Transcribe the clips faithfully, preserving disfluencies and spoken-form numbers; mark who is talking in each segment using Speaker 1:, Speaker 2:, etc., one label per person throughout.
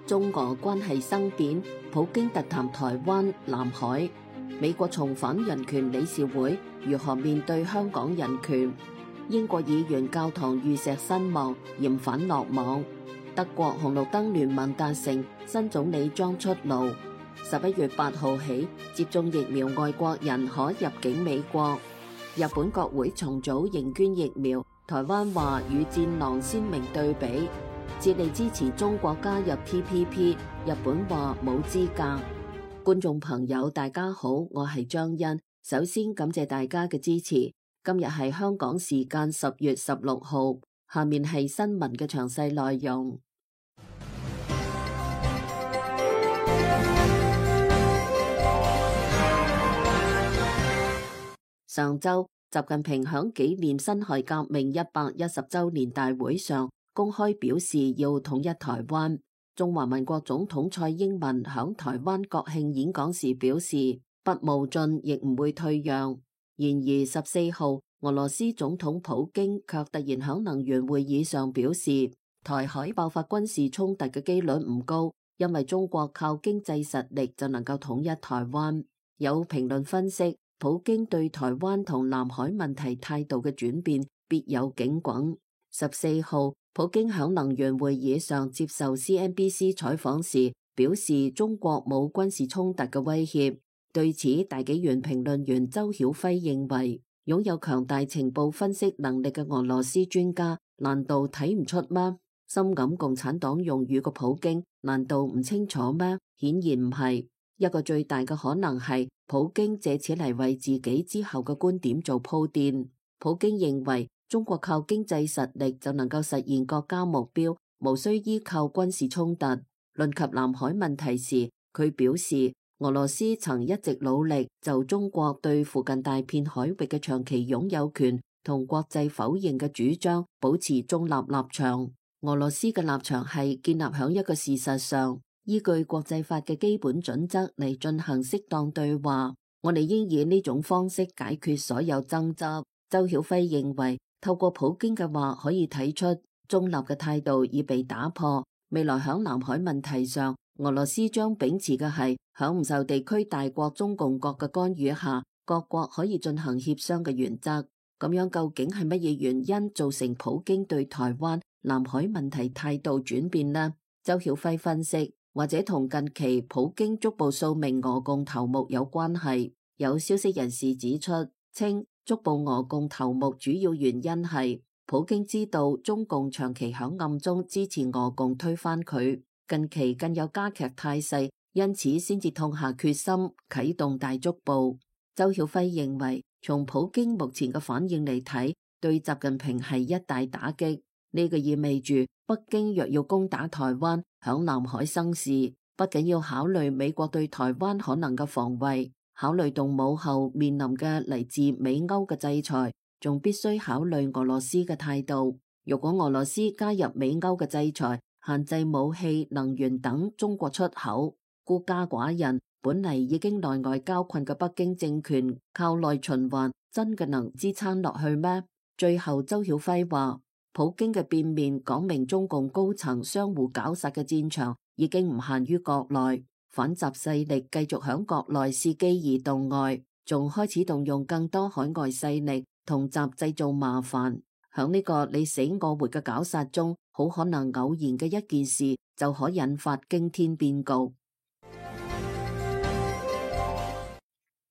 Speaker 1: 中俄關係生變，普京特談台灣、南海，美國重返人權理事會，如何面對香港人權？英國議員教堂遇石身亡，嫌犯落網。德國紅綠燈聯盟達成，新總理將出爐。十一月八號起，接種疫苗外國人可入境美國。日本國會重組認捐疫苗，台灣話與戰狼鮮明對比。致力支持中國加入 T P P， 日本話冇資格。觀眾朋友大家好，我係張欣，首先感謝大家嘅支持。今日係香港時間十月十六號，下面係新聞嘅詳細內容。上週，習近平響紀念辛亥革命一百一十週年大會上公開表示要統一台灣。中華民國總統蔡英文響台灣國慶演講時表示，不冒進亦唔會退讓。然而十四號，俄羅斯總統普京卻突然響能源會議上表示，台海爆發軍事衝突嘅機率唔高，因為中國靠經濟實力就能夠統一台灣。有評論分析，普京對台灣同南海問題態度嘅轉變別有警滾。十四號，普京響能源會議上接受 C N B C 採訪時表示，中國冇軍事衝突嘅威脅。對此，大紀元評論員周曉輝認為，擁有強大情報分析能力嘅俄羅斯專家難道睇唔出嗎？深感共產黨用語嘅普京難道唔清楚嗎？顯然唔係。一個最大嘅可能係普京借此嚟為自己之後嘅觀點做鋪墊。普京認為中國靠經濟實力就能夠實現國家目標，無需依靠軍事衝突。論及南海問題時，佢表示俄羅斯曾一直努力就中國對附近大片海域嘅長期擁有權同國際否認嘅主張保持中立立場。俄羅斯嘅立場係建立響一個事實上，依據國際法嘅基本準則嚟進行適當對話。我哋應以呢種方式解決所有爭執。周曉輝認為，透過普京嘅話可以睇出中立嘅態度已被打破。未來響南海問題上，俄羅斯將秉持嘅係響唔受地區大國中共國嘅干預下，各國可以進行協商嘅原則。咁樣究竟係乜嘢原因造成普京對台灣、南海問題態度轉變呢？周曉輝分析，或者同近期普京捉捕數名俄共頭目有關係。有消息人士指出，稱捉捕俄共頭目主要原因係普京知道中共長期響暗中支持俄共推翻佢，近期更有加劇態勢，因此先至痛下決心啟動大捉捕。周曉輝認為，從普京目前嘅反應嚟睇，對習近平係一大打擊。呢個意味住北京若要攻打台灣，響南海生事，不僅要考慮美國對台灣可能嘅防衛，考慮動武後面臨嘅嚟自美歐嘅制裁，仲必須考慮俄羅斯嘅態度。如果俄羅斯加入美歐嘅制裁，限制武器、能源等中國出口，孤家寡人，本嚟已經內外交困嘅北京政權靠內循環，真嘅能支撐落去咩？最後，周曉輝話，普京嘅變面講明中共高層相互絞殺嘅戰場已經唔限於國內，反習勢力繼續響國內伺機而動外，仲開始動用更多海外勢力同習製造麻煩。響呢個你死我活嘅絞殺中，好可能偶然嘅一件事就可引發驚天變局。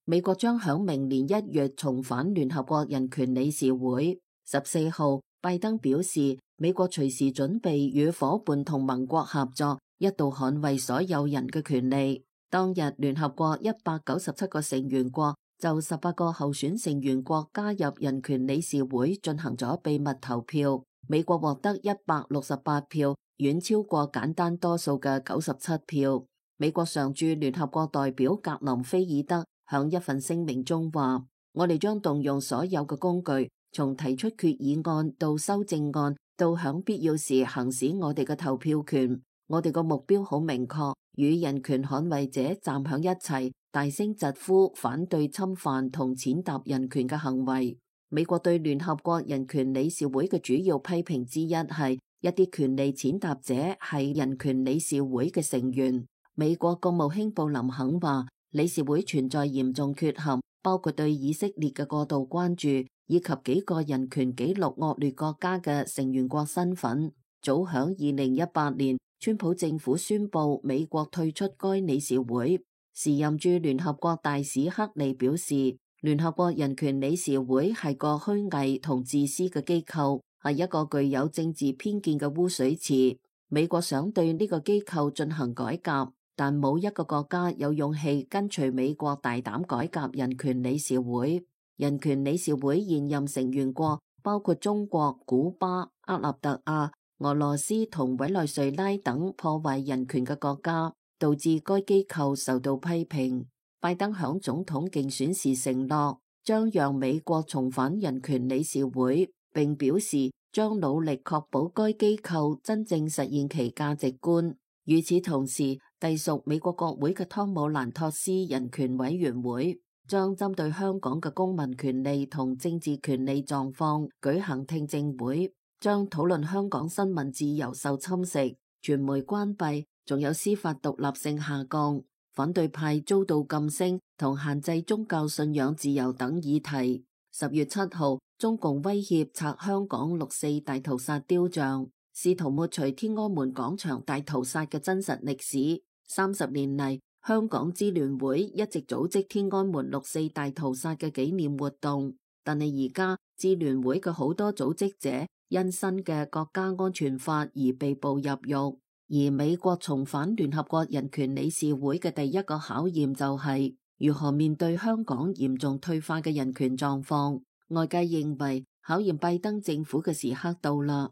Speaker 1: 美國將響明年一月重返聯合國人權理事會。十四號，拜登表示，美國隨時準備與夥伴同盟國合作，一道捍衛所有人嘅權利。當日，聯合國一百九十七個成員國就十八個候選成員國加入人權理事會進行咗秘密投票，美國獲得一百六十八票，遠超過簡單多數嘅九十七票。美國常駐聯合國代表格林菲爾德響一份聲明中話，我哋將動用所有嘅工具，從提出決議案到修正案，到響必要時行使我哋嘅投票權。我哋個目標好明確，與人權捍衛者站響一齊，大聲疾呼反對侵犯同踐踏人權嘅行為。美國對聯合國人權理事會嘅主要批評之一係一啲權利踐踏者係人權理事會嘅成員。美國國務卿布林肯話，理事會存在嚴重缺陷，包括對以色列嘅過度關注，以及幾個人權紀錄惡劣國家嘅成員國身份。早響二零一八年，川普政府宣布美國退出該理事會。時任駐聯合國大使克利表示，聯合國人權理事會係個虛偽同自私嘅機構，係一個具有政治偏見嘅污水池。美國想對呢個機構進行改革，但冇一個國家有勇氣跟隨美國大膽改革人權理事會。人權理事會現任成員國包括中國、古巴、厄立特亞、俄羅斯同委內瑞拉等破壞人權嘅國家，導致該機構受到批評。拜登響總統競選時承諾將讓美國重返人權理事會，並表示將努力確保該機構真正實現其價值觀。與此同時，隸屬美國國會嘅湯姆蘭托斯人權委員會將針對香港嘅公民權利同政治權利狀況舉行聽證會，將討論香港新聞自由受侵蝕、傳媒關閉，仲有司法獨立性下降、反對派遭到禁聲同限制宗教信仰自由等議題。十月七號，中共威脅拆香港六四大屠殺雕像，試圖抹除天安門廣場大屠殺嘅真實歷史。三十年嚟，香港支聯會一直組織天安門六四大屠殺嘅紀念活動，但係而家支聯會嘅好多組織者因新嘅國家安全法而被捕入獄。而美國重返聯合國人權理事會嘅第一個考驗就係如何面對香港嚴重退化嘅人權狀況。外界認為考驗拜登政府嘅時刻到啦。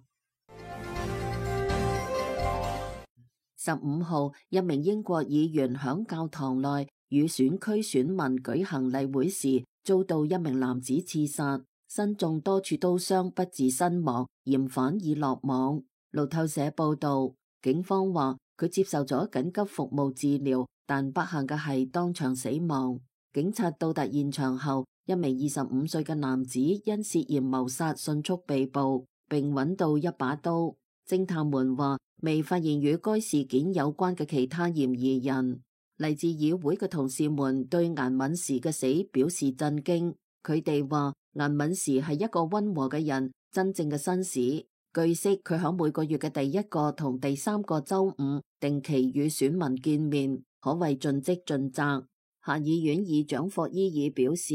Speaker 1: 十五號，一名英國議員響教堂內與選區選民舉行例會時，遭到一名男子刺殺，身中多處刀傷，不治身亡，嫌犯已落網。路透社報道，警方話佢接受咗緊急服務治療，但不幸嘅係當場死亡。警察到達現場後，一名二十五歲嘅男子因涉嫌謀殺迅速被捕，並揾到一把刀。偵探們話未發現與該事件有關嘅其他嫌疑人。嚟自議會嘅同事們對顏敏時嘅死表示震驚。佢哋話顏敏時係一個溫和嘅人，真正嘅紳士。據悉，佢喺每個月嘅第一個同第三個周五定期與選民見面，可謂盡職盡責。下議院議長霍伊爾表示，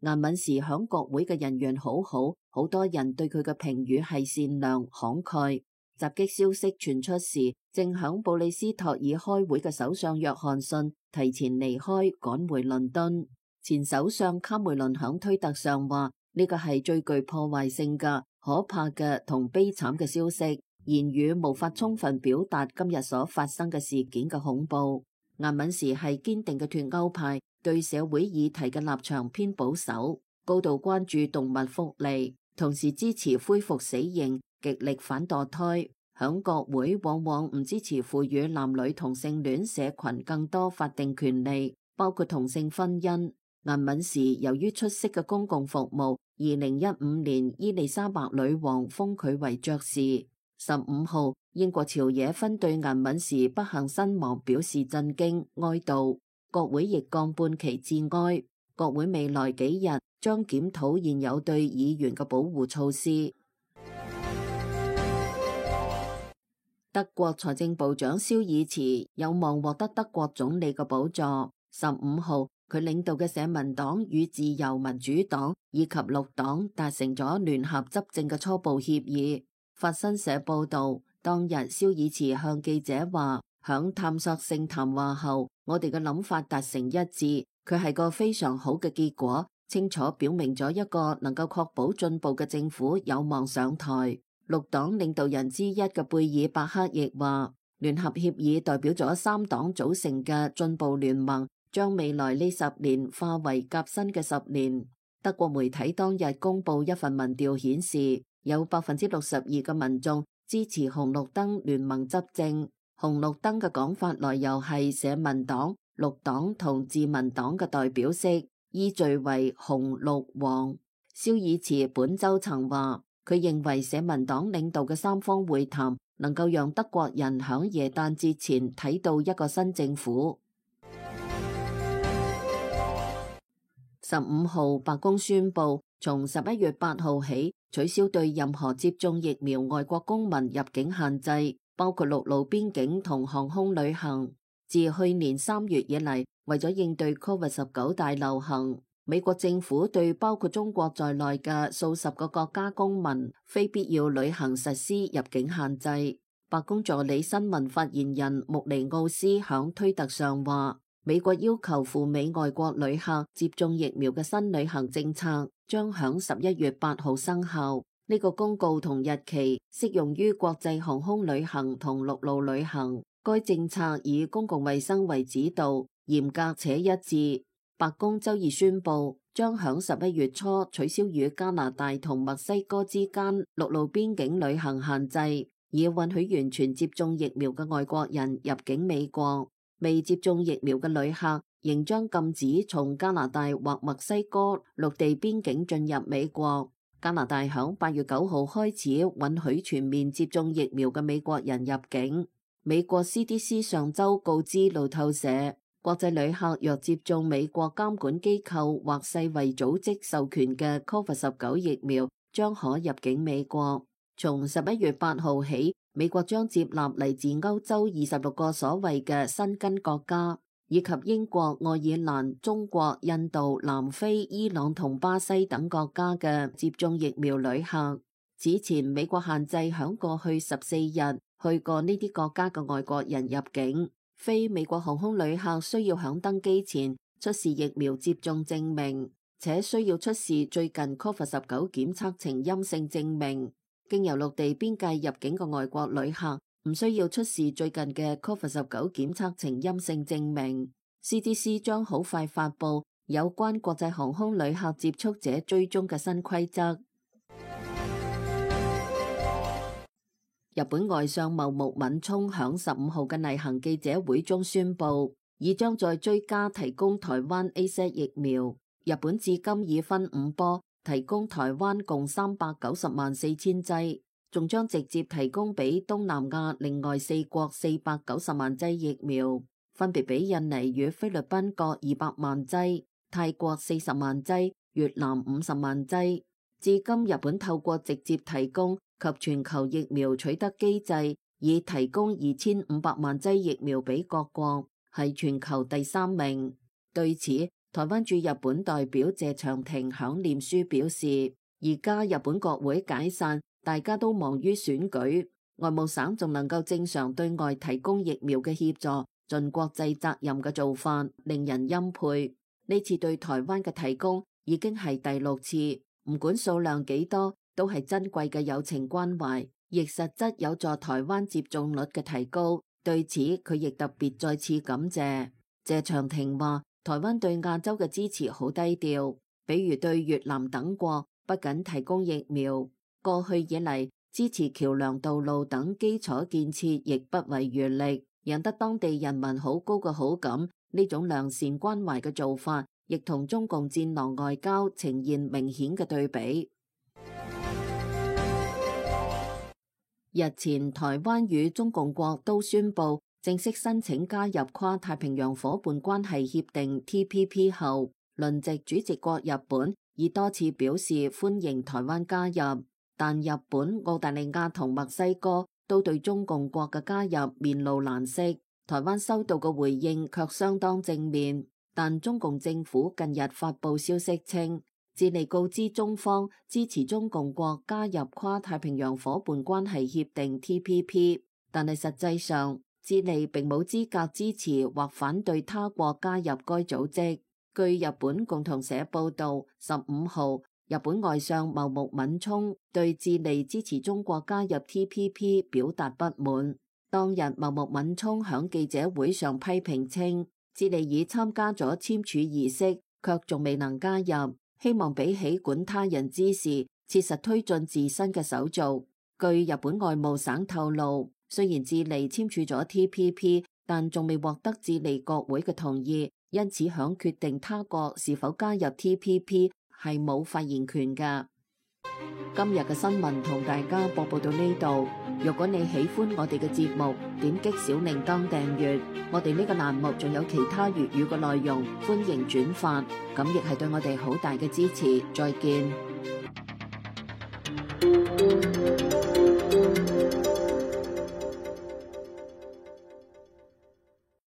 Speaker 1: 顏敏時響國會嘅人緣好好，好多人對佢嘅評語係善良慷慨。襲擊消息傳出時，正響布里斯托爾開會嘅首相約翰遜提前離開，趕回倫敦。前首相卡梅倫響推特上話：呢個係最具破壞性嘅、可怕嘅同悲慘嘅消息，言語無法充分表達今日所發生嘅事件嘅恐怖。顏敏時係堅定嘅脫歐派，對社會議題嘅立場偏保守，高度關注動物福利，同時支持恢復死刑，極力反墮胎。響國會往往唔支持賦予男女同性戀社群更多法定權利，包括同性婚姻。顏敏時由於出色嘅公共服務，二零一五年伊麗莎白女王封佢為爵士。十五號，英國朝野分對顏敏時不幸身亡表示震驚哀悼，國會亦降半旗致哀。國會未來幾日將檢討現有對議員嘅保護措施。德國財政部長肖爾茨有望獲得德國總理嘅寶座。十五號，佢領導嘅社民黨與自由民主黨以及綠黨達成咗聯合執政嘅初步協議。法新社報道，當日肖爾茨向記者話，響探索性談話後，我哋嘅諗法達成一致，佢係個非常好嘅結果，清楚表明咗一個能夠確保進步嘅政府有望上台。綠黨領導人之一嘅貝爾伯克亦話，聯合協議代表咗三黨組成嘅進步聯盟，將未來呢十年化為革新嘅十年。德國媒體當日公布一份民調顯示，有百分之六十二嘅民眾支持紅綠燈聯盟執政。紅綠燈嘅講法來由係社民黨、綠黨同自民黨嘅代表色，依序為紅綠黃。肖爾茨本周曾話，佢認為社民黨領導嘅三方會談能夠讓德國人響耶誕節前睇到一個新政府。十五號，白宮宣布從十一月八號起取消對任何接種疫苗外國公民入境限制，包括陸路邊境同航空旅行。自去年三月以嚟，為咗應對 Covid 十九 大流行，美國政府對包括中國在內嘅數十個國家公民非必要旅行實施入境限制。白宮助理新聞發言人穆尼奧斯響推特上話，美國要求赴美外國旅客接種疫苗嘅新旅行政策將響十一月八號生效。呢個公告同日期適用於國際航空旅行同陸路旅行。該政策以公共衛生為指導，嚴格且一致。白宮周二宣布，將響十一月初取消與加拿大同墨西哥之間陸路邊境旅行限制，以允許完全接種疫苗嘅外國人入境美國。未接種疫苗嘅旅客仍將禁止從加拿大或墨西哥陸地邊境進入美國。加拿大響八月九號開始允許全面接種疫苗嘅美國人入境。美國 C D C 上周告知路透社，國際旅客若接種美國監管機構或世衛組織授權嘅 Covid 十九 疫苗，將可入境美國。從十一月八號起，美國將接納嚟自歐洲二十六個所謂嘅申根國家，以及英國、愛爾蘭、中國、印度、南非、伊朗同巴西等國家嘅接種疫苗旅客。此前，美國限制響過去十四日去過呢啲國家嘅外國人入境。非美國航空旅客需要響登機前出示疫苗接種證明，且需要出示最近 Covid 十九 檢測呈陰性證明。經由陸地邊界入境嘅外國旅客唔需要出示最近嘅 Covid 十九 檢測呈陰性證明。C D C 將好快發布有關國際航空旅客接觸者追蹤嘅新規則。日本外相茂木敏充響十五號嘅例行記者會中宣布，已將在追加提供台灣 A Z 疫苗。日本至今已分五波提供台灣共三百九十萬四千劑，仲將直接提供俾東南亞另外四國四百九十萬劑疫苗，分別俾印尼與菲律賓各二百萬劑，泰國四十萬劑，越南五十萬劑。至今日本透過直接提供及全球疫苗取得機制，已提供二千五百萬劑疫苗俾各國，係全球第三名。對此，台灣駐日本代表謝長廷響臉書表示，而家日本國會解散，大家都忙於選舉，外務省仲能夠正常對外提供疫苗嘅協助，盡國際責任嘅做法，令人欽佩。呢次對台灣嘅提供已經係第六次，唔管數量幾多，都係珍貴嘅友情關懷，亦實質有助台灣接種率嘅提高。對此，佢亦特別再次感謝。謝長廷話，台灣對亞洲嘅支持好低調，比如對越南等國不僅提供疫苗，過去以嚟支持橋樑道路等基礎建設亦不遺餘力，贏得當地人民好高嘅好感。呢種良善關懷嘅做法，亦同中共戰狼外交呈現明顯嘅對比。日前，台灣與中共國都宣布正式申請加入跨太平洋夥伴關係協定 T P P 後，輪值主席國日本已多次表示歡迎台灣加入，但日本、澳大利亞同墨西哥都對中共國嘅加入面露難色。台灣收到嘅回應卻相當正面，但中共政府近日發布消息稱，致力告知中方支持中共國加入跨太平洋夥伴關係協定 T P P， 但係實際上智利並冇資格支持或反對他國加入該組織。據日本共同社報道，十五號日本外相茂木敏充對智利支持中國加入 T P P 表達不滿。當日茂木敏充響記者會上批評稱，智利已參加咗簽署儀式，卻仲未能加入。希望比起管他人之事，切實推進自身嘅手續。據日本外務省透露，雖然智利簽署咗 T P P， 但仲未獲得智利國會嘅同意，因此響決定他國是否加入 T P P 係冇發言權㗎。今日嘅新聞同大家播報到呢度。如果你喜歡我哋嘅節目，點擊小鈴鐺訂閱。我哋呢個欄目仲有其他粵語嘅內容，歡迎轉發，咁亦係對我哋好大嘅支持。再見。